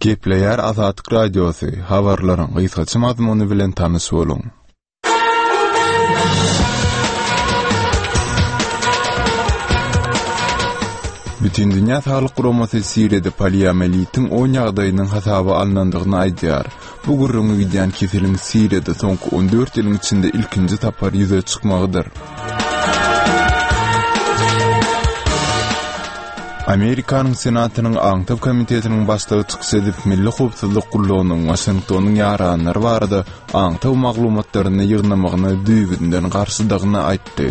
Gepleýär Azatlyk Radiosy, habarlaryň gysgaça mazmuny bilen tanyş boluň. Bütindünýä Saglyk Guramasy Siriýada poliomeliitiň on ýagdaýynyň hasaba alnandygyny aýdýar. Bu gürrüňi gidýän keseliň Siriýada soňky 14 ýylyň içinde ilkinji sapar ýüze çykmagydyr. Amerikanyň Senatynyň Aňtaw komitetiniň başlygy çykyş edip, Milli howpsuzlyk gullugynyň Waşingtonyň ýaranlary barada aňtaw maglumatlaryny ýygnamagyna düýbünden garşydygyny aýtdy.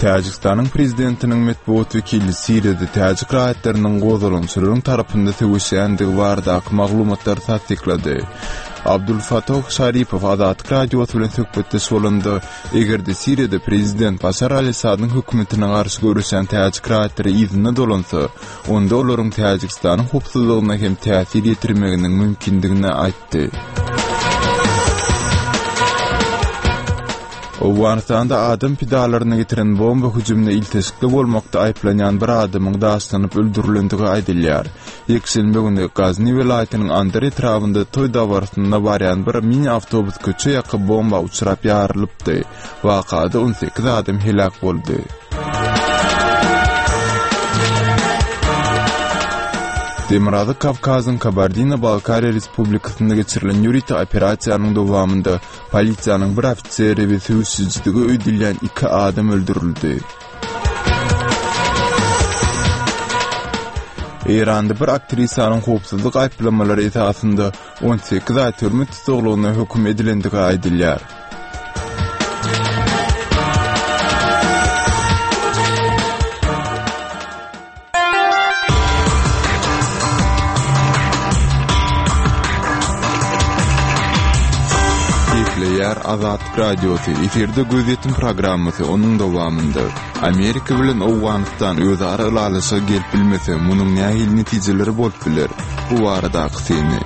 Täjigistanyň prezidentiniň metbugat wekili Siriýada täjik raýatlarynyň gozgalaňçylaryň tarapynda söweşýändigi baradaky maglumatlary tassyklady. Abdulfatoh Şaripow Azatlyk Radiosy bilen söhbetdeş bolanda, eger-de Siriýada prezident Başar al-Assadyň hökümetine garşy göreşýän täjik raýatlary yzyna dolansa, onda olaryň Täjigistanyň howpsuzlygyna hem täsir ýetirmeginiň mümkindigini aýtdy. Owganystanda adam pidalaryna getiren bomba hüjümine ilteşikli bolmakda aýyplanýan bir adamyň daşlanyp öldürilendigi aýdylýar. Ýekşenbe güni Gazni welaýatynyň Andar etrabynda toý dabarasyna barýan bir mini awtobus köçe ýaka bomba uçrap ýarylypdy. Wakada 18 adam heläk boldy. Demirgazyk Kawkazyň Kabardino-Balkariýa Respublikasynda geçirilen ýörite operasiýanyň dowamynda polisiýanyň bir ofiseri we söweşijidigi öýdülýän iki adam öldürildi. Eýranda bir aktrisanyň howpsuzlyk aýyplamalary esasynda 18 aý türme tussaglygyna höküm edilendigi aýdylýar. Gepleýär Azatlyk Radiosy, efirde Gözýetim programmasy, onuň dowamynda, Amerika bilen Owganystan özara ylalaşyga gelip bilmese, munuň nähili netijeleri bolup biler? Bu baradaky syny.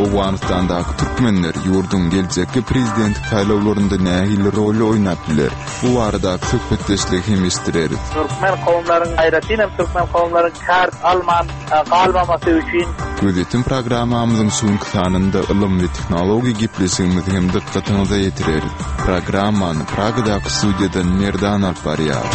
Owganystandaky türkmenler ýurduň geljekki prezidentlik saýlawlarynda nähili roly oýnap biler? Bu baradaky söhbetdeşligi hem eşitdireris. Türkmen kowumlaryň, aýratyn hem türkmen kowumlaryň kart alman galmamasy üçin. Gözýetim programmamyzyň şu günki sanynda ylym we tehnologiýa gepleşigimizi hem dykgatyňyza ýetireris. Programmany Pragadaky studiýadan Merdan alyp barýar.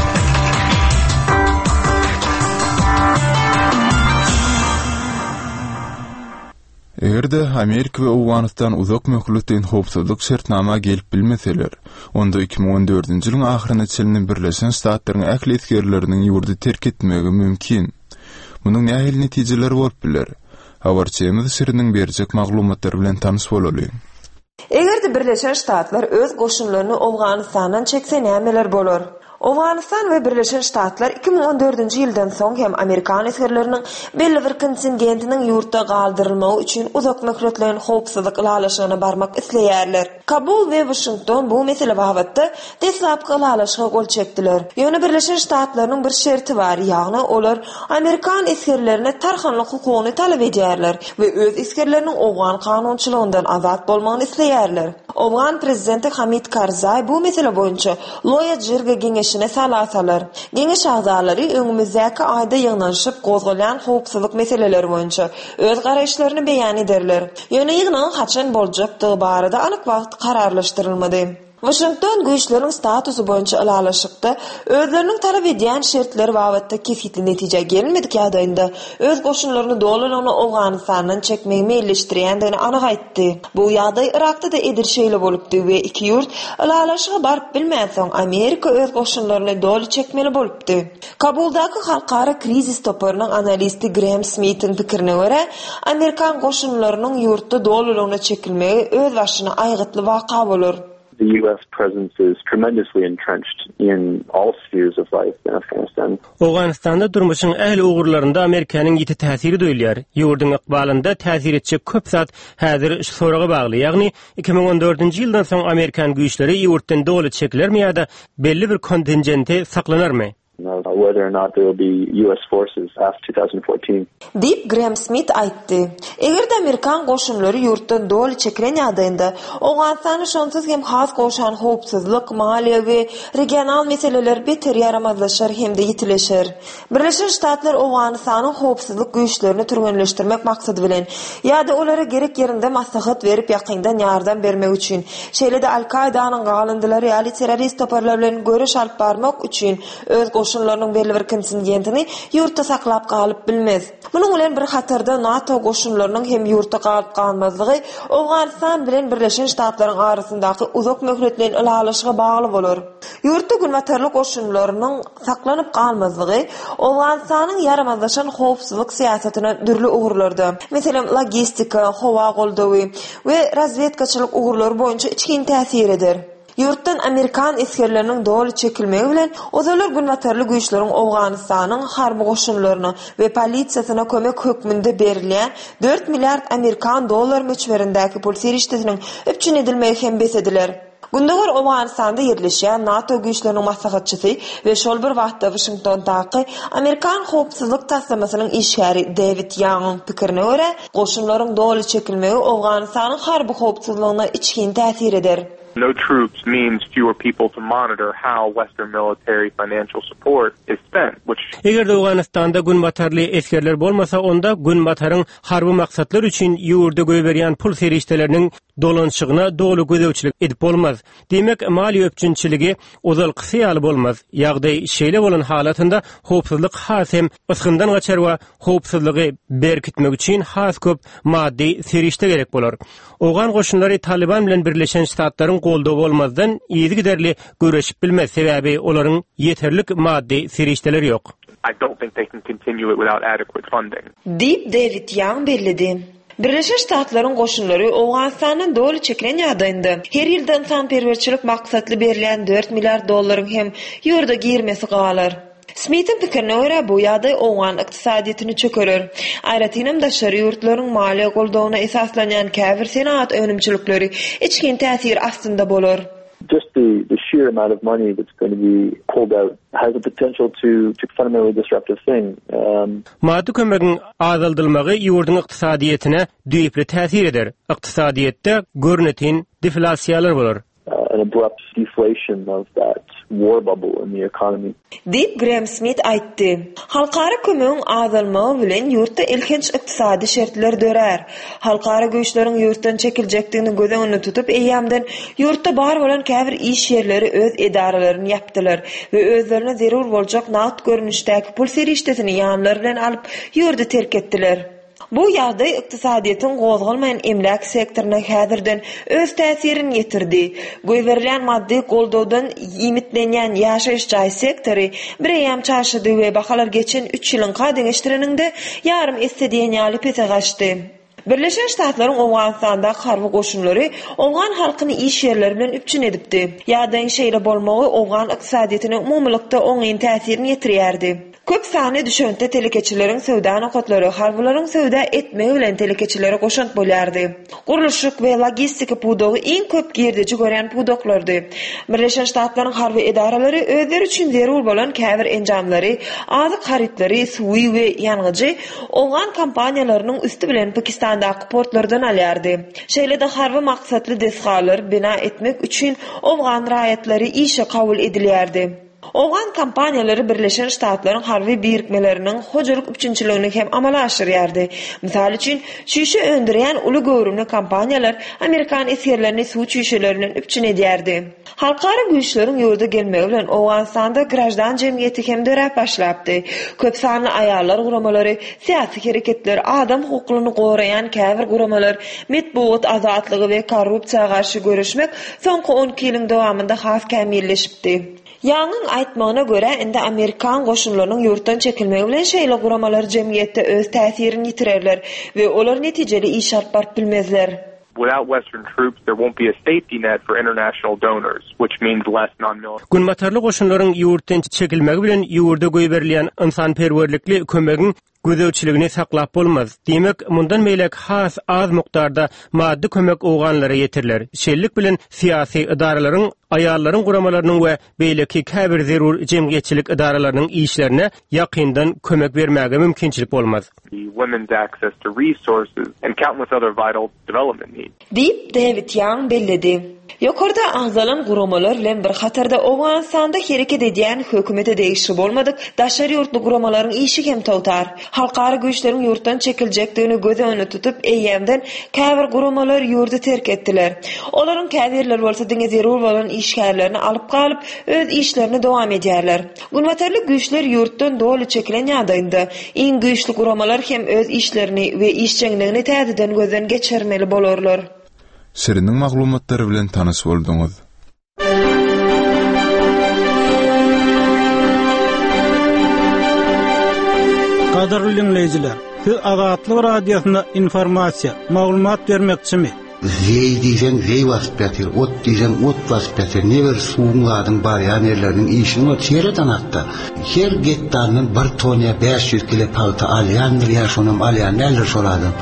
Eger-de Amerika we Owganystan uzak möhletleýin howpsuzlyk şertnama gelip bilmeseler, onda 2014-nji ýylyň ahyryna çenli Birleşen Ştatlaryň ähli esgerleriniň ýurdy terk etmegi mümkin. Munuň nähili netijeleri bolup biler? Habarçymyz Şiriniň berjek maglumatlary bilen tanyş bolalyň. Eger-de Birleşen Ştatlar öz goşunlaryny Owganystandan çekse nämeler bolar? Owganystan we Birleşen Ştatlar 2014-nji ýyldan soň hem amerikan esgerleriniň belli bir kontingentiniň ýurtda galdyrylmagy üçin uzak möhletleýin howpsuzlyk ylalaşygyna barmak isleýärler. Kabul we Waşington bu mesele babatda deslapky ylalaşyga gol çekdiler. Ýöne Birleşen Ştatlarynyň bir şerti bar, ýagny olar amerikan esgerlerine tarhanlyk hukugyny talap edýärler we öz esgerleriniň owgan kanunçylygyndan azat bolmagyny isleýärler. Owgan prezidenti Hamid Karzaý bu mesele boýunça Loýa Jirga geňeşine sala salar. Geňeş agzalary öňümizdäki aýda ýygnanyşyp, gozgalýan howpsuzlyk meseleleri boýunça öz garaýyşlaryny beýan ederler. Ýöne ýygnagyň haçan boljakdygy barada anyk wagt kararlaşdyrylmady. Waşington güýçleriň statusy boýunça ylalaşykda özleriniň talap edýän şertleri babatda kesgitli netijä gelinmedik ýagdaýynda öz goşunlaryny dolulygyna Owganystandan çekmegi meýilleşdirýändigini anyk aýtdy. Bu ýagdaý Yrakda-da edil şeýle bolupdy we iki ýurt ylalaşyga baryp bilmänsoň Amerika öz goşunlaryny doly çekmeli bolupdy. Kabuldaky Halkara krizis toparynyň analisti Grem Smitiň pikirine görä, amerikan goşunlarynyň ýurtda dolulygyna çekilmegi özbaşyna aýgytly waka bolar. The US presence is tremendously entrenched in all spheres of life in Afghanistan. Owganystanda durmuşyň ähli ugurlarynda Amerikanyň ýiti täsiri duýulýar. Ýurduň ykbalynda täsir etjek köp zat häzir şu soraga bagly, ýagny 2014-nji ýyldan soň amerikan güýçleri ýurtdan doly çekilermi ýa-da belli bir kontingenti saklanarmy? Whether or not there will be US forces after 2014. Diýip, Grem Smit aýtdy. Eger-de amerikan goşunlary ýurtdan doly çekilen ýagdaýynda, Owganystanda şonsuz hem has gowşan howpsuzlyk, maliýe we regional meseleler beter ýaramazlaşar hem-de ýitileşer. Birleşen Ştatlar Owganystanyň howpsuzlyk güýçlerini türgenleşdirmek maksady bilen ýa-da olara gerek ýerinde maslahat berip ýakyndan ýardam bermek üçin, şeýle-de Al-Kaýdanyň galyndylary ýaly terrorist toparlar bilen göreş alyp barmak üçin öz goşunlarynyň belli bir kontingentini ýurtda saklap galyp bilmez. Munuň bilen bir hatarda NATO goşunlarynyň hem ýurtda galyp-galmazlygy Owganystan bilen Birleşen Ştatlaryň arasyndaky uzak möhletleýin ylalaşyga bagly bolar. Ýurtda günbatarly goşunlarynyň saklanyp galmazlygy Owganystanyň ýaramazlaşan howpsuzlyk syýasatyna dürli ugurlarda, meselem, logistika, howa goldawy we razwedkaçylyk ugurlary boýunça içgin täsir eder. Ýurtdan amerikan esgerleriniň doly çekilmegi bilen, ozallar günbatarly güýçleriň Owganystanyň harby goşunlaryna we polisiýasyna kömek hökmünde berilýän dört milliard amerikan dollary möçberindäki pul serişdesiniň üpjün edilmegi hem bes ediler. Gündogar Owganystanda ýerleşýän NATO güýçleriniň maslahatçysy we şol bir wagtda Waşingtondaky amerikan howpsuzlyk taslamasynyň işgäri Dewid Ýangyň pikirine görä, goşunlaryň doly çekilmegi Owganystanyň harby howpsuzlygyna içgin täsir eder. No troops means fewer people to monitor how Western military financial support is spent, which. Eger-de Owganystanda günbatarly esgerler bolmasa, onda Günbataryň harby maksatlar üçin ýurda goýberýän pul serişdeleriniň dolanyşygyna doly gözegçilik edip bolmaz. Diýmek, maliýe üpjünçiligi ozalkysy ýaly bolmaz. Ýagdaý şeýle bolan halatynda howpsuzlyk has hem ysgyndan gaçar we howpsuzlygy berkitmek üçin has köp maddy serişde gerek bolar. Owgan goşunlary Talyban bilen Birleşen Ştatlaryň goldawy bolmazdan yzygiderli göreşip bilmez, sebäbi olaryň ýeterlik maddy serişdeleri ýok. I don't think they can continue it without adequate funding. Diýip, Dewid Ýang belledi. Birleşen Ştatlaryň goşunlary Owganystandan doly çekilen ýagdaýynda, her ýylda ynsanperwerçilik maksatly berilýän dört milliard dollaryň hem ýurda girmesi galar. Smitiň pikirine görä, bu ýagdaý owgan ykdysadyýetini çökerer. Aýratynam daşary ýurtlaryň maliýe goldawyna esaslanýan käbir senagat önümçilikleri içgin täsir astynda bolar. Just the the sheer amount of money that's going to be pulled out has the potential to to fundamentally disrupt a thing. Um. Maddy kömegiň azaldylmagy ýurduň ykdysadyýetine düýpli täsir eder. Ykdysadyýetde görnetin deflasiýalar bolar. An abrupt deflation of that war bubble in the economy. Diýip, Grem Smit aýtdy. Halkara kömegiň azalmagy bilen ýurtda elhenç ykdysady şertler dörär. Halkara güýçleriň ýurtdan çekiljekdigini göz öňünde tutup, eýýämden ýurtda bar bolan käbir iş ýerleri öz edaralaryny ýapdylar we özlerine zerur boljak nagt görnüşdäki pul serişdesini ýanlary bilen alyp, ýurdy terk etdiler. Bu ýagdaý ykdysadyýetiň gozgalmaýan emläk sektoryna häzirden öz täsirini ýetirdi. Goýberilýän maddy goldawdan iýmitlenýän ýaşaýyş jaý sektory bireýýäm çaşydy we bahalar geçen üç ýylyňka deňeşdireniňde ýarym esse diýen ýaly pese gaçdy. Birleşen Ştatlaryň Owganystandaky harby goşunlary owgan halkyny iş ýerleri bilen üpjün edipdi. Ýagdaýyň şeýle bolmagy owgan ykdysadyýetine umumylykda oňyn täsirini ýetirýärdi. Köp sanly düşewüntli telekeçileriň söwda nokatlary harbylaryň söwda etmegi bilen telekeçilere goşant bolýardy. Gurluşyk we logistika pudagy iň köp girdeji görýän pudaklardy. Birleşen Ştatlaryň harby edaralary özleri üçin zerur bolan käbir enjamlary, azyk harytlary, suwy we ýangyjy owgan kompaniýalarynyň üsti bilen Pakistandaky portlardan alýardy. Şeýle-de harby maksatly desgalary bina etmek üçin owgan raýatlary işe kabul edilýärdi. Owgan kompaniýalary Birleşen Ştatlaryň harby birikmeleriniň hojalyk üpjünçiligini hem amala aşyrýardy. Mysal üçin, çüýşe öndürýän uly göwrümli kompaniýalar amerikan esgerlerini suw çüýşeleri bilen üpjün edýärdi. Halkara güýçleriň ýurda gelmegi bilen Owganystanda graždan jemgyýeti hem döräp başlapdy. Köp sanly aýallar guramalary, syýasy hereketler, adam hukuklaryny goraýan käbir guramalar, metbugat azatlygy we korrupsiýa garşy göreşmek soňky 12 ýylyň dowamynda has kämilleşipdi. Ýangyň aýtmagyna görä, indi amerikan goşunlarynyň ýurtdan çekilmegi bilen şeýle guramalar jemgyýetde öz täsirini ýitirerler we olar netijeli iş alyp baryp bilmezler. Without Western troops, there won't be a safety net for international donors, which means less non-military. Günbatarly goşunlaryň ýurtdan çekilmegi bilen ýurda goýberilýän ynsanperwerlikli kömegiň. gözegçiligini saklap bolmaz. Diýmek, mundan beýläk has az mukdarda maddy kömek owganlara ýetiriler. Şeýlelik bilen, syýasy edaralaryň, aýallaryň guramalarynyň we beýleki käbir zerur jemgyýetçilik edaralarynyň işlerine ýakyndan kömek bermäge mümkinçilik bolmaz. women's access to resources and countless other vital development needs. Diýip, Dewid Ýang belledi. Ýokarda agzalan guramalar bilen bir hatarda Owganystanda hereket edýän hökümete degişli bolmadyk daşary ýurtly guramalaryň işi hem togtar. Halkara güýçleriň ýurtdan çekiljekdigini göz öňünde tutup, eýýämden käbir guramalar ýurdy terk etdiler. Olaryň käbirleri bolsa diňe zerur bolan işgärlerini alyp galyp, öz işlerini dowam edýärler. Günbatarly güýçler ýurtdan doly çekilen ýagdaýynda, iň güýçli guramalar hem öz işlerini we işjeňligini täzeden gözden geçirmeli bolarlar. Şiriniň maglumatlary bilen tanyş bolduňyz. Gadyrly diňleýjiler, siz Azatlyk Radiosynda informasiýa, maglumat bermekçimi? Zeý diýseň zeý basyp ýatyr, ot diýseň ot basyp ýatyr. Ne bir suwuň zadyň barýan ýerleriniň işini ol seret anakda. Her gektaryndan bir ton ýa 500 kile pagta alýandyr ýa şonam alýan däldir şol adam.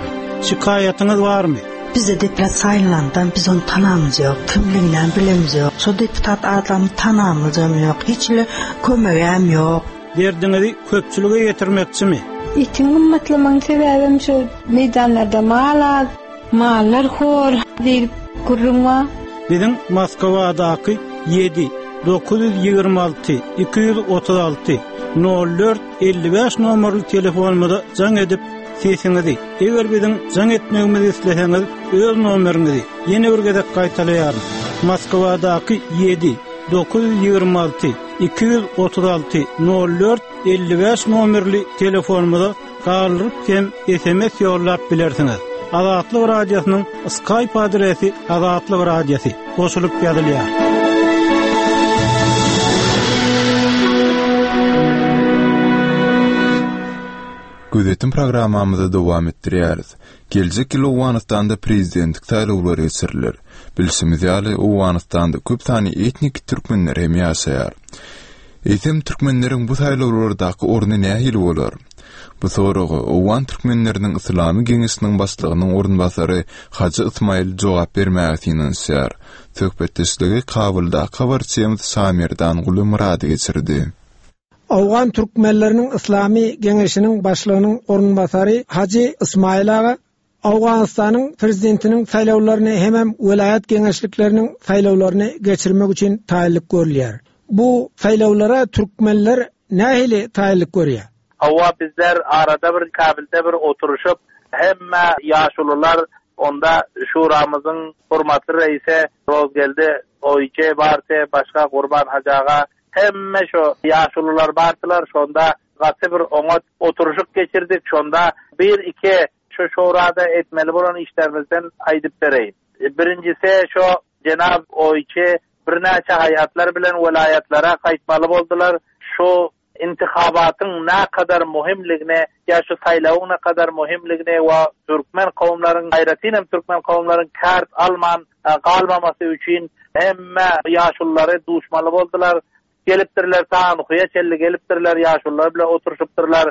Şikaýatyňyz barmy? Bize deputat saýlanandan biz ony tanamyz ýok, kimliginem bilemizok. Şo deputat adamy tanamyzam ýok, hiç hili kömegem ýok. Derdiňizi köpçülige ýetirmekçimi? Etiň gymmatlamagyň sebäbem şo meýdanlarda mal az, mallar hor diýlip gürrüň bar. Biziň Moskwadaky 7 926 236 04 55 nomerli telefonymyza jaň edip, sesiňizi, eger biziň jaň etmegimizi isleseňiz, öz nomeriňizi ýene bir gezek gaýtalaýaryn. Moskwadaky 7 926 236 04 55 nomerli telefonymyza galdyryp hem SMS ýollap bilersiňiz. Azatlyk Radiosynyň Skype adresi Azatlyk Radiosy goşulyp ýazylýar. Gözetim programmamyzy dowam etdirýäris. Geljek ýyl Owganystanda prezidentlik saýlawlary geçiriler. Bilşimiz ýaly, Owganystanda köp sanly etniki türkmenler hem ýaşaýar. Eýsem, türkmenleriň bu saýlawlardaky orny nähili bolar? Bu soraga owgan türkmenleriniň Yslamy geňeşiniň başlygynyň orunbasary Hajy Ysmaýyl jogap bermäge synanyşýar. Söhbetdeşligi Kabuldaky habarçymyz Şamerdan Gulymyrady geçirdi. Owgan türkmenleriniň Yslamy geňeşiniň başlygynyň orunbasary Hajy Ysmaýyl aga Owganystanyň prezidentiniň saýlawlaryny hemem welaýat geňeşlikleriniň saýlawlaryny geçirmek üçin taýynlyk görülýär. Bu saýlawlara türkmenler nähili taýynlyk görýär? Hawa bizler arada bir Kabilde bir oturyşyp hemme ýaşulular onda şuramyzyň hormatly reisi Rozgeldi Oýçy bardy başga Gurban hajy aga Hemme şo ýaşulular bardylar, şonda gaty bir oňat oturyşyk geçirdik. Şonda bir-iki şo şurada etmeli bolan işlerimizden aýdyp bereýin. Birinjisi şo jenap Oýçy birnäçe haýatlar bilen welaýatlara gaýtmaly boldular. Şo intihabatyň nakadar muhimligini ýa şu saýlawyň nakadar muhimligini we türkmen kowumlaryň aýratyn hem türkmen kowumlaryň kart alman galmamasy üçin hemme ýaşululary duşmaly boldular. Gelipdirler, ta Anhuýa çenli gelipdirler, ýaşulular bilen oturyşypdyrlar.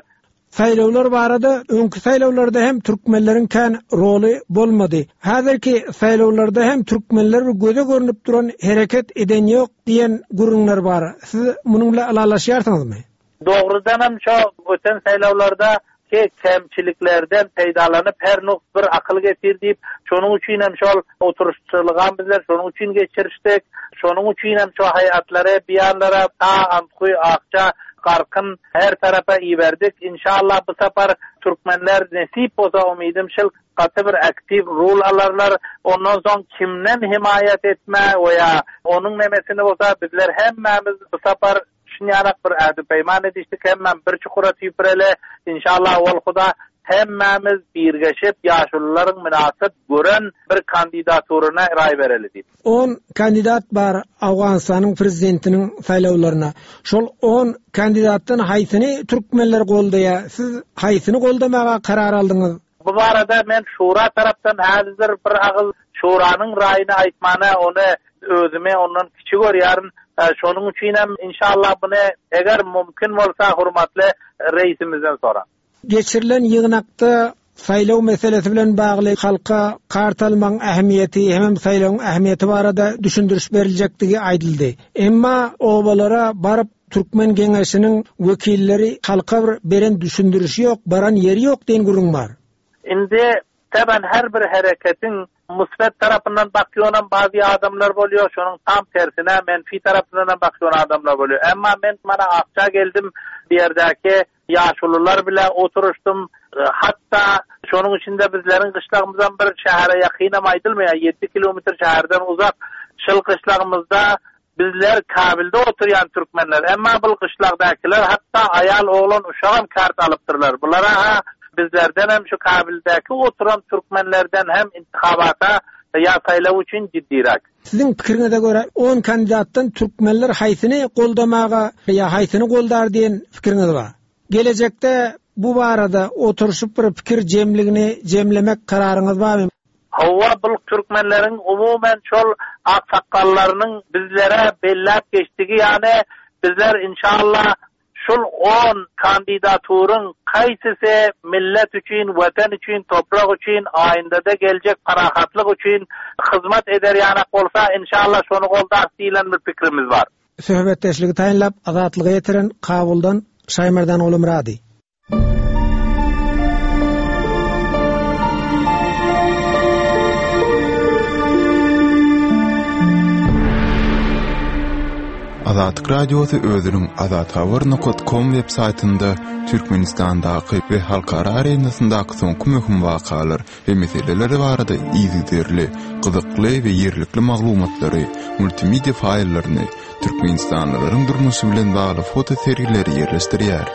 Saýlawlar barada öňki saýlawlarda hem türkmenleriň kän roly bolmady. Häzirki saýlawlarda hem türkmenler bir göze görnüp duran hereket eden ýok diýen gürrüňler bar. Siz munuň bilen ylalaşýarsyňyzmy? Dogrudanam şo öten saýlawlarda ki kemçiliklerden peýdalanyp her nuks bir akyl getir diýip, şonuň üçinem şol oturyşçylygam bizler şonuň üçin geçirişdik. Şonuň üçinem şo haýatlary biýanlara ta Antguý, Akja, Garkyn her tarapa iberdik. Inşallah bu sapar türkmenler nesip bolsa umydym şil gaty bir aktiw rul alarlar. Ondan soň kimden hemaýat etme we ýa onuň nemesini bolsa bizler hemmämiz bu sapar Şunýarak bir ähdi-peýman edişdik, hemmäm bir çukura tüýpüreli, inşallah owal Huda, hemmämiz birgeşip, ýaşulularyň mynasyp gören bir kandidaturyna raý bereli diýip. On kandidat bar Owganystanyň prezidentiniň saýlawlaryna. Şol on kandidatdan haýsyny türkmenler goldaýar? Siz haýsyny goldamaga karar aldyňyz? Bu barada men şura tarapdan häzir bir agyz şuranyň raýyny aýtmana ony özümi ondan kiçi görýärin. Şonuň üçinem inşallah buny eger mümkin bolsa hormatly reýsimizden soraň. Geçirilen ýygnakda saýlaw meselesi bilen bagly halka kart almagyň ähmiýeti hemem saýlawyň ähmiýeti barada düşündiriş beriljekdigi aýdyldy. Emma obalara baryp Türkmen geňeşiniň wekilleri halka bir beren düşündirişi ýok, baran ýeri ýok diýen gürrüň bar. Indi Taban her bir hereketiň musbet tarapyndan bakýanam bazy adamlar bolýar, şonuň tam tersine menfi tarapyndanam bakýan adamlar bolýar. Emma men mana Akja geldim, bu ýerdäki ýaşulular bile oturyşdym. Hatda şonuň içinde bizleriň gyşlagymyzam bir şähere ýakynam aýdylmaýar, ýedi kilometr şäherden uzak. Şol gyşlagymyzda Bizler Kabilde oturýan türkmenler, emma bul gyşlagdakylar hatda aýal, oglan, uşagam kart alypdyrlar. Bulara-ha bizlerdenem şu Kabildäki oturan türkmenlerden hem intihabata ýa saýlaw üçin jiddiräk. Siziň pikiriňize görä on kandidatdan türkmenler haýsyny goldamaga ýa haýsyny goldar diýen pikiriňiz bar? Gelejekde bu barada oturyşyp bir pikir jemligini jemlemek kararyňyz barmy? Hawa bul türkmenleriň umumen şol aksakgallarynyň bizlere belläp geçdigi ýany bizler inşallah şul on kandidaturyň kaýsysy millet üçin watan üçin toprak üçin aýyndada geljek parahatlyk üçin hyzmat eder ýanak bolsa inşallah şony goldarys diýilen bir pikrimiz bar. Söhbetdeşligi taýynlap Azatlyga ýetiren Kabuldan Şaýmerdan Gulumyrady. Azatlyk Radiosy özüniň azathabar nokat kom web saýtynda Türkmenistandaky we halkara arenasyndaky soňky möhüm wakalar we meseleler barada yzygiderli, gyzykly we ýerlikli maglumatlary, multimedia faýllaryny, Türkmenistanlylaryň durmuşy bilen bagly foto sergileri ýerleşdirýär.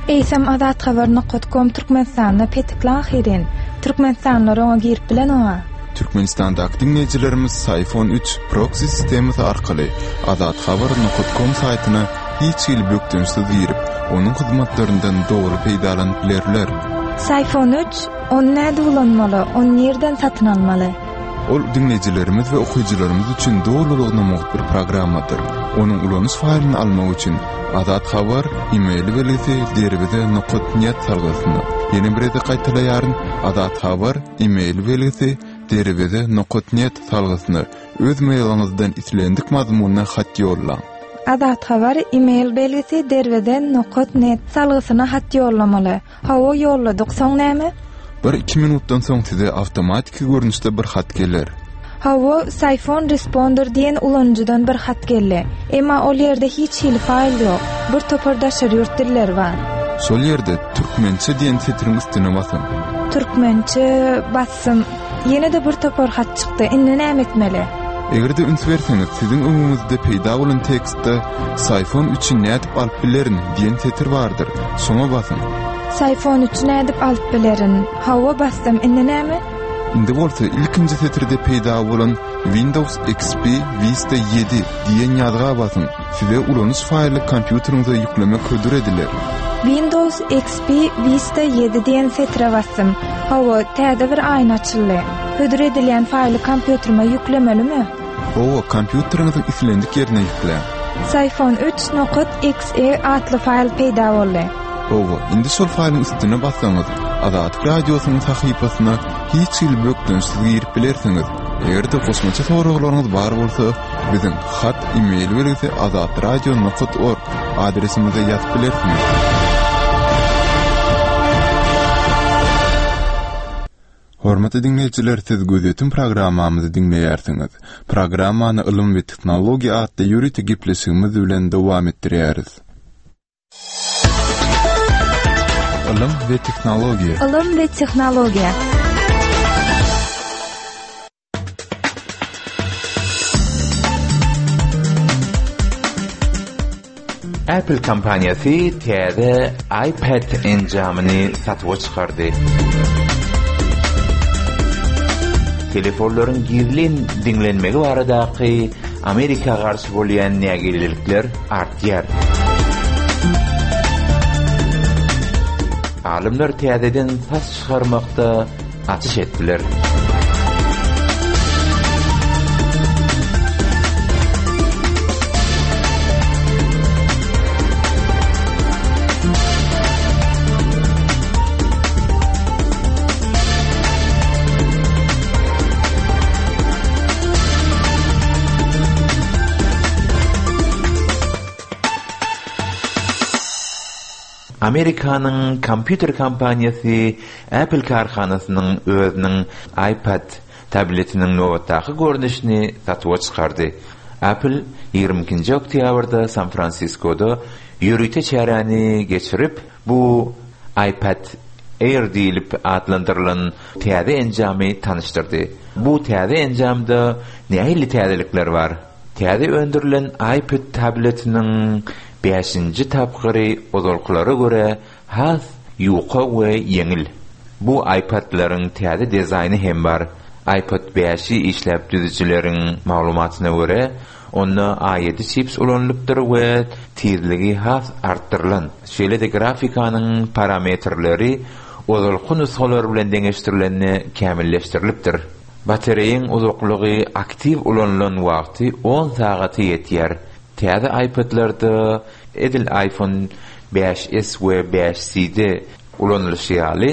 Eýsem Azathabar nokat kom Türkmenistanda petikli ahyryn. Türkmenistanlylar oňa girip bilenoga. Türkmenistandaky diňleýjilerimiz Syfon üç proksi sistemasy arkaly Azathabar nokat kom saýtyna hiç hili bökdençsiz girip, onuň hyzmatlaryndan doly peýdalanyp bilerler. Syfon üç, ony nädip ulanmaly, ony nirden satyn almaly? Ol diňleýjilerimiz we okyjylarymyz üçin dolulygyna mugt bir programmadyr. Onuň ulanyş faýlyny almak üçin Azat Habar e-mail belgisi derweze nokat net salgysyna, ýene bir gezek gaýtalaýaryn, Azat Habar e-mail belgisi derweze nokat net salgysyna öz mailiňizden islendik mazmunda hat ýollaň. Azat Habar e-mail belgisi derweze nokat net salgysyna hat ýollamaly. Hawa ýolladyk, soň näme? Bir-iki minutdan soň size awtomatiki görnüşde bir hat geler. Hawa, Syphon Responder diýen ulanyjydan bir hat geldi. Emma ol ýerde hiç hili faýl ýok. Bir topar daşary ýurt dilleri bar. Şol ýerde Türkmençe diýen setiriň üstüne basyň. Türkmençe basdym. Ýene-de bir topar hat çykdy. Indi näme etmeli? Eger-de üns berseňiz, siziň öňüňizde peýda bolan tekstde Syphon üçi nädip alyp bilerin diýen setir bardyr. Şoňa basyň. Syphon üçi nädip alyp bilerin? Hawa, basdym. Indi näme? Indi bolsa ilkinji setirde peýda bolan Windows XP Vista ýedi diýen ýazga basyň. Size ulanyş faýly kompýuteriňize ýüklemek hödür ediler. Windows XP Vista ýedi diýen setire basdym. Hawa, täze bir aýna açyldy. Hödür edilýän faýly kompýuterime ýüklemelimi? Hawa, kompýuteriňiziň islendik ýerine ýükläň. Syphon üç nokat XE atly faýl peýda boldy. Hawa, indi şol faýlyň üstüne bassaňyz, Azatlyk Radiosynyň sahypasyna hiç hili bökdençsiz girip bilersiňiz. Eger-de goşmaça soraglaryňyz bar bolsa, biziň hat e-mail belgisi azatradio nokat org adresimize ýazyp bilersiňiz. Hormatly diňleýjiler, siz Gözýetim programmamyzy diňleýärsiňiz. Programmany Ylym we tehnologiýa atly ýörite gepleşigimiz bilen dowam etdirýäris. Ylym we tehnologiýa. Ylym we tehnologiýa. Apple kompaniýasy täze iPad enjamyny satuwa çykardy. Telefonlaryň gizlin diňlenmegi baradaky Amerika garşy bolýan nägilelikler artýar. Alymlar täzeden saç çykarmakda açyş etdiler. Amerikanyň kompýuter kompaniýasy Apple kärhanasynyň özüniň iPad tabletiniň nobatdaky görnüşini satuwa çykardy. Apple 22-nji oktýabrda San-Fransiskoda ýörite çäräni geçirip, bu iPad Air diýlip atlandyrylan täze enjamy tanyşdyrdy. Bu täze enjamda nähili täzelikler bar? Täze öndürilen iPad tabletiniň bäşinji tapgyry ozalkylara görä has ýuka we ýeňil. Bu iPad-laryň täze dizaýny hem bar. iPad bäşi işläp düzüjileriň maglumatyna görä, onda A ýedi çips ulanylypdyr we tizligi has artdyrylan. Şeýle-de grafikanyň parametrleri ozalky nusgalar bilen deňeşdirilende kämilleşdirilipdir. Batareýiň uzaklygy aktiw ulanylan wagty on sagata ýetýär. Täze iPad-lerde edil iPhone bäş S we bäş C-de ulanylyşy ýaly,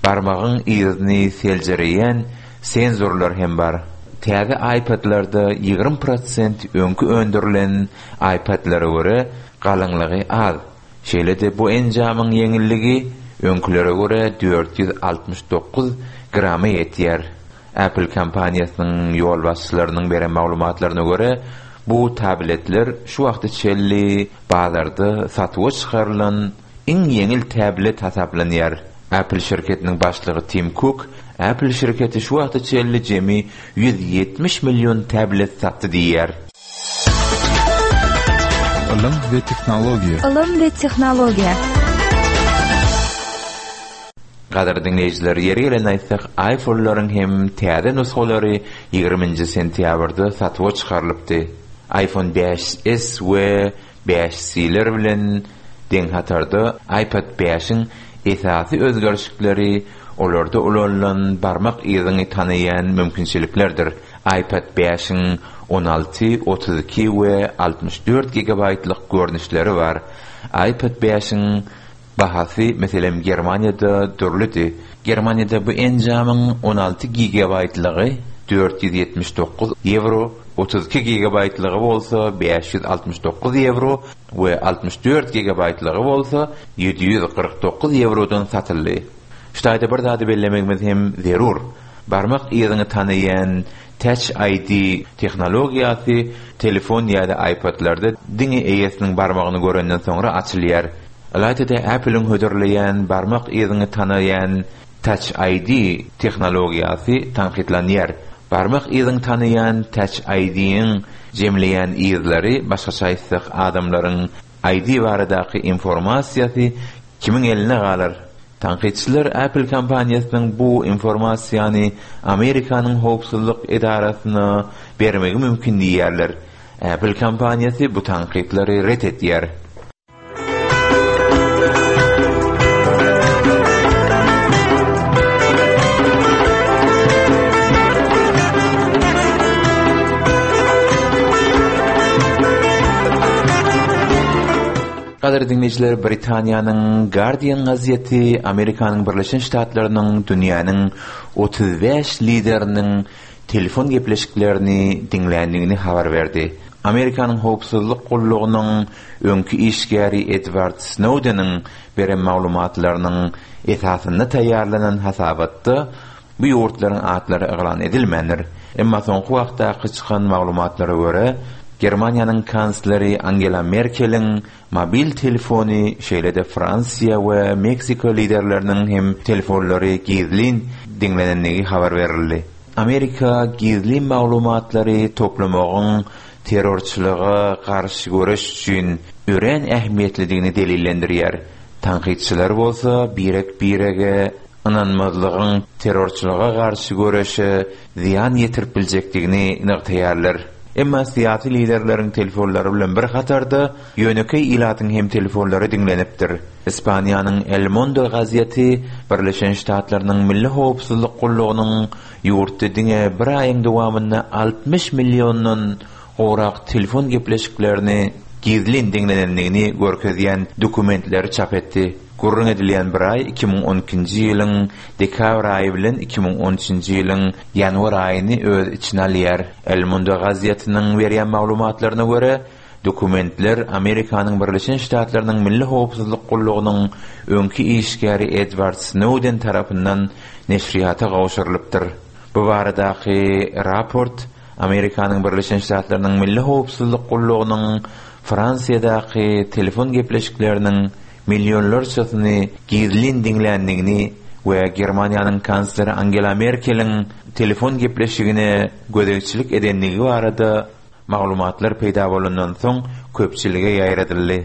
barmagyň yzyny seljereýän senzorlar hem bar. Täze iPad-lerde 20 prosent öňki öndürilen iPad-lere görä galyňlygy az. Şeýle-de bu enjamyň ýeňilligi öňkülere görä 469 grama ýetýär. Apple kompaniýasynyň ýolbaşçylarynyň beren maglumatlaryna görä, bu tabletler şu wagta çenli bazarda satuwa çykarylan iň ýeňil tablet hasaplanýar. Apple şirketiniň başlygy Tim Kuk, Apple şirketi şu wagta çenli jemi 170 million tablet satdy diýýär. Ylym we tehnologiýa. Ylym we tehnologiýa. Gadyrly diňleýjiler, ýeri gelende aýtsak, iPhone-laryň hem täze nusgalary ýigriminji sentýabrda satuwa çykarylypdy. iPhone bäş S we bäş C-ler bilen deň hatarda iPad bäşiň esasy özgerişikleri olarda ulanylan barmak yzyňy tanaýan mümkinçiliklerdir. iPad bäşiň 16, 32 we 64 gigabaýtlyk görnüşleri bar. iPad bäşiň Bahasy, meselem, Germaniýada dürlüdi. Germaniýada bu enjamyň 16 gigabaýtlygy 479 ýewro, 32 gigabaýtlygy bolsa 569 ýewro we 64 gigabaýtlygy bolsa 749 ýewrodan satyldy. Şu taýda bir zady bellemegimiz hem zerur. Barmak yzyňy tanaýan Touch ID tehnologiýasy telefon ýa-da iPad-larda diňe eýesiniň barmagyny görenden soňra açylýar. Ylaýta-da Apple-iň hödürleýän barmak yzyňy tanaýan Touch ID tehnologiýasy tankytlanýar. Barmak yzyňy tanaýan Touch ID-iň jemleýän yzlary, başgaça aýtsak, adamlaryň ID baradaky informasiýasy kimiň elinde galar? Tankytçylar Apple kompaniýasynyň bu informasiýany Amerikanyň howpsuzlyk edarasyna bermegi mümkin diýýärler. Apple kompaniýasy bu tankytlary ret edýär. Gadyrly diňleýjiler, Britaniýanyň Guardian gazeti Amerikanyň Birleşen Ştatlarynyň dünýäniň 35 lideriniň telefon gepleşiklerini diňländigini habar berdi. Amerikanyň howpsuzlyk gullugynyň öňki işgäri Edward Snowdeniň beren maglumatlarynyň esasynda taýýarlanan hasabatda Bu ýurtlaryň atlary yglan edilmändir. Emma soňky wagtdaky çykan maglumatlara görä, Germaniýanyň kansleri Angela Merkeliň mobil telefony, şeýle-de Fransiýa we Meksika liderleriniň hem telefonlary gizlin diňlenendigi habar berildi. Amerika gizlin maglumatlary toplamagyň terrorçylyga garşy göreş üçin örän ähmiýetlidigini delillendirýär. Tankytçylar bolsa birek-birege ynanmazlygyň terrorçylyga garşy göreşe zyýan ýetirip biljekdigini nygtaýarlar. Emma syýasy liderleriň telefonlary bilen bir hatarda, ýönekeý ilatyň hem telefonlary diňlenipdir. Ispaniýanyň El Mundo gazeti Birleşen Ştatlarynyň Milli howpsuzlyk gullugynyň ýurtda diňe bir aýyň dowamynda 60 milliondan gowrak telefon gepleşiklerini gizlin diňlenendigini görkezýän dokumentleri çap etdi. Gürrüň edilýän bir aý 2012-nji ýylyň dekabr aýy bilen 2013-nji ýylyň ýanwar aýyny öz içine alýar. El Mundo gazetiniň berýän maglumatlaryna görä, dokumentler Amerikanyň Birleşen Ştatlarynyň Milli howpsuzlyk. Gullugynyň öňki işgäri Edward Snowden tarapyndan neşirýata gowşurylypdyr. Bu baradaky raport Amerikanyň Birleşen Ştatlarynyň Milli howpsuzlyk gullugynyň Fransiýadaky telefon gepleşikleriniň millionlarçasyny gizlin diňländigini we Germaniýanyň kansleri Angela Merkeliň telefon gepleşigine gözegçilik edendigi barada maglumatlar peýda bolandan soň köpçülige ýaýradyldy.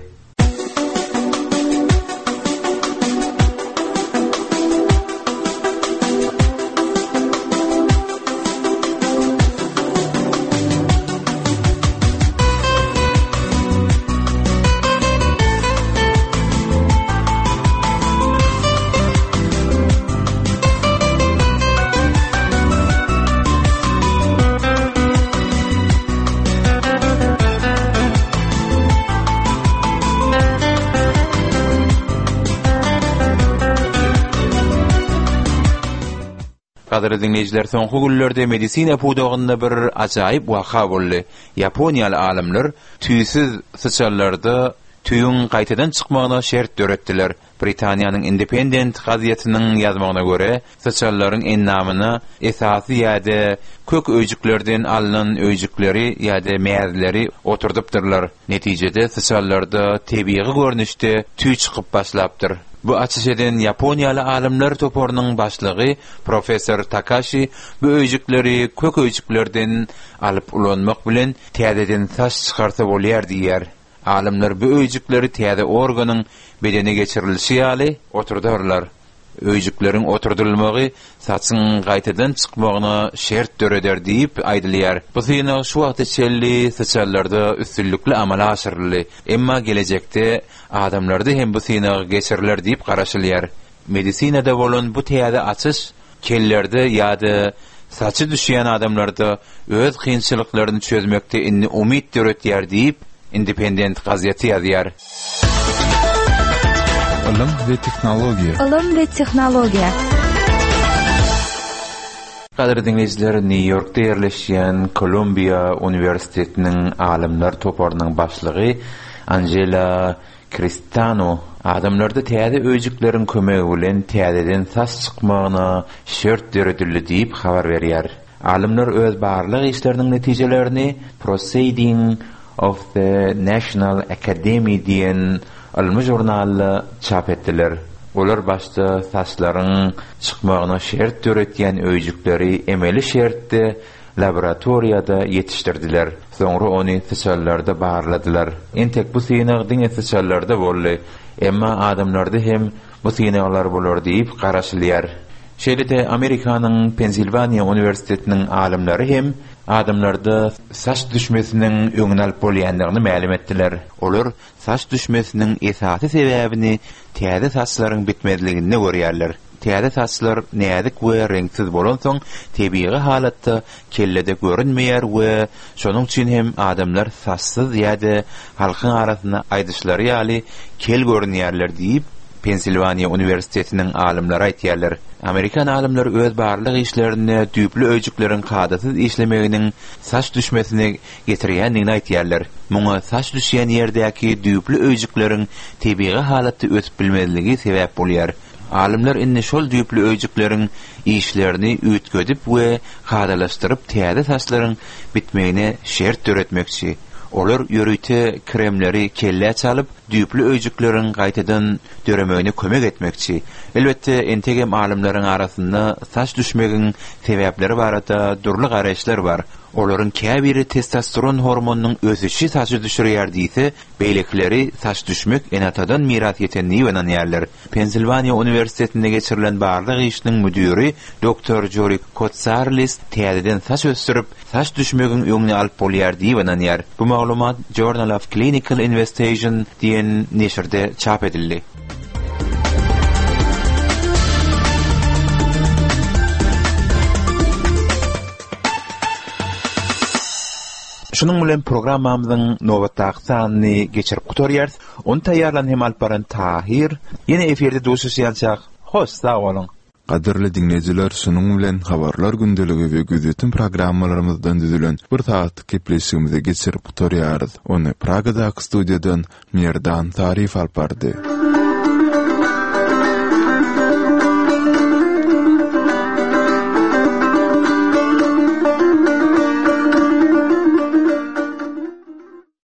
Gadyrly diňleýjiler, soňky günlerde medisina pudagynda bir ajaýyp waka boldy. Ýaponiýaly alymlar tüýsüz syçanlarda tüýüň gaýtadan çykmagyna şert döretdiler. Britaniýanyň Independent gazetiniň ýazmagyna görä, syçanlaryň endamyna esasy ýa-da kök öýjüklerden alnan öýjükleri ýa-da mäzleri oturdypdyrlar. Netijede, syçanlarda tebigy görnüşde tüý çykyp başlapdyr. Bu açyş eden ýaponiýaly alymlar toparynyň başlygy professor Takaşi bu öýjükleri kök öýjüklerden alyp ulanmak bilen täzeden saç çykarsa bolýar diýýär. Alymlar bu öýjükleri täze organyň bedene geçirilişi ýaly oturdarlar. Öýjükleriň oturdylmagy saçyň gaýtadan çykmagyna şert döreder diýip aýdylýar. Bu synag şu wagta çenli syçanlarda üstünlikli amala aşyryldy. Emma gelejekde adamlarda hem bu synag geçiriler diýip garaşylýar. Medisinada bolan bu täze açyş kellerde ýa-da saçy düşýän adamlarda öz kynçylyklaryny çözmekde indi umyt döretýär diýip, Independent gazeti ýazýar. Ylym we tehnologiýa. Ylym we tehnologiýa. Gadyrly diňleýjiler, Nýu-Ýorkda ýerleşýän Kolumbiýa uniwersitetiniň alymlar toparynyň başlygy Anžela Kristano adamlarda täze öýjükleriň kömegi bilen täzeden saç çykmagyna şert döredildi diýip habar berýär. Alymlar öz barlag işleriniň netijelerini Proceeding of the National Academy diýen ylmy žurnalda çap etdiler. Olar başda saçlaryň çykmagyna şert döretýän öýjükleri emeli şertde laboratoriýada ýetişdirdiler. Soňra ony syçanlarda barladylar. Entek bu synag diňe syçanlarda boldy. Emma adamlarda hem bu synaglar bolar diýip garaşylýar. Şeýle-de Amerikanyň Pensilwaniýa uniwersitetiniň alymlary hem adamlarda saç düşmesiniň öňüni alyp bolýandygyny mälim etdiler. Olar saç düşmesiniň esasy sebäbini täze saçlaryň bitmezliginde görýärler. Täze saçlar näzik we reňksiz bolansoň, tebigy halatda kellede görünmeýär we şonuň üçin hem adamlar saçsyz ýa-da halkyň arasynda aýdyşlary ýaly kel görünýärler diýip, Pensilwaniýa uniwersitetiniň alymlary aýtýarlar. Amerikan alymlary öz barlag işlerinde düýpli öýjükleriň kadasyz işlemeginiň saç düşmesine getirýändigini aýtýarlar. Muňa saç düşýän ýerdäki düýpli öýjükleriň tebigy halatda ösüp bilmezligi sebäp bolýar. Alymlar indi şol düýpli öýjükleriň işlerini üýtgedip we kadalaşdyryp täze saçlaryň bitmegine şert döretmekçi. Olar ýörite kremleri kellä çalyp, düýpli öýjükleriň gaýtadan döremegine kömek etmekçi. Elbetde, entegem alymlaryň arasynda saç düşmegiň sebäpleri barada dürli garaýyşlar bar. Olaryň käbiri testosteron hormonynyň ösüşi saçy düşürýär diýse, beýlekileri saç düşmek ene-atadan miras ýeten diýip ynanýarlar. Pensilwaniýa uniwersitetinde geçirilen barlag işiniň müdiri doktor Jori Kotsarlis täzeden saç ösdürip, saç düşmegiň öňüni alyp bolýar diýip ynanýar. Bu maglumat Journal of Clinical Investigation diýen neşirde çap edildi. Şunuň bilen programmamyzyň nobatdaky sanyny geçirip gutarýarys. Ony taýýarlan hem alyp baran Tahyr. Ýene efirde duşuşýançak, hoş sag boluň! Gadyrly diňleýjiler şunuň bilen Habarlar gündeligi we Gözýetim programmalarymyzdan düzülen bir sagatlyk gepleşigimizi geçirip gutarýarys. Ony Pragadaky studiýadan Merdan Saryýew alyp bardy.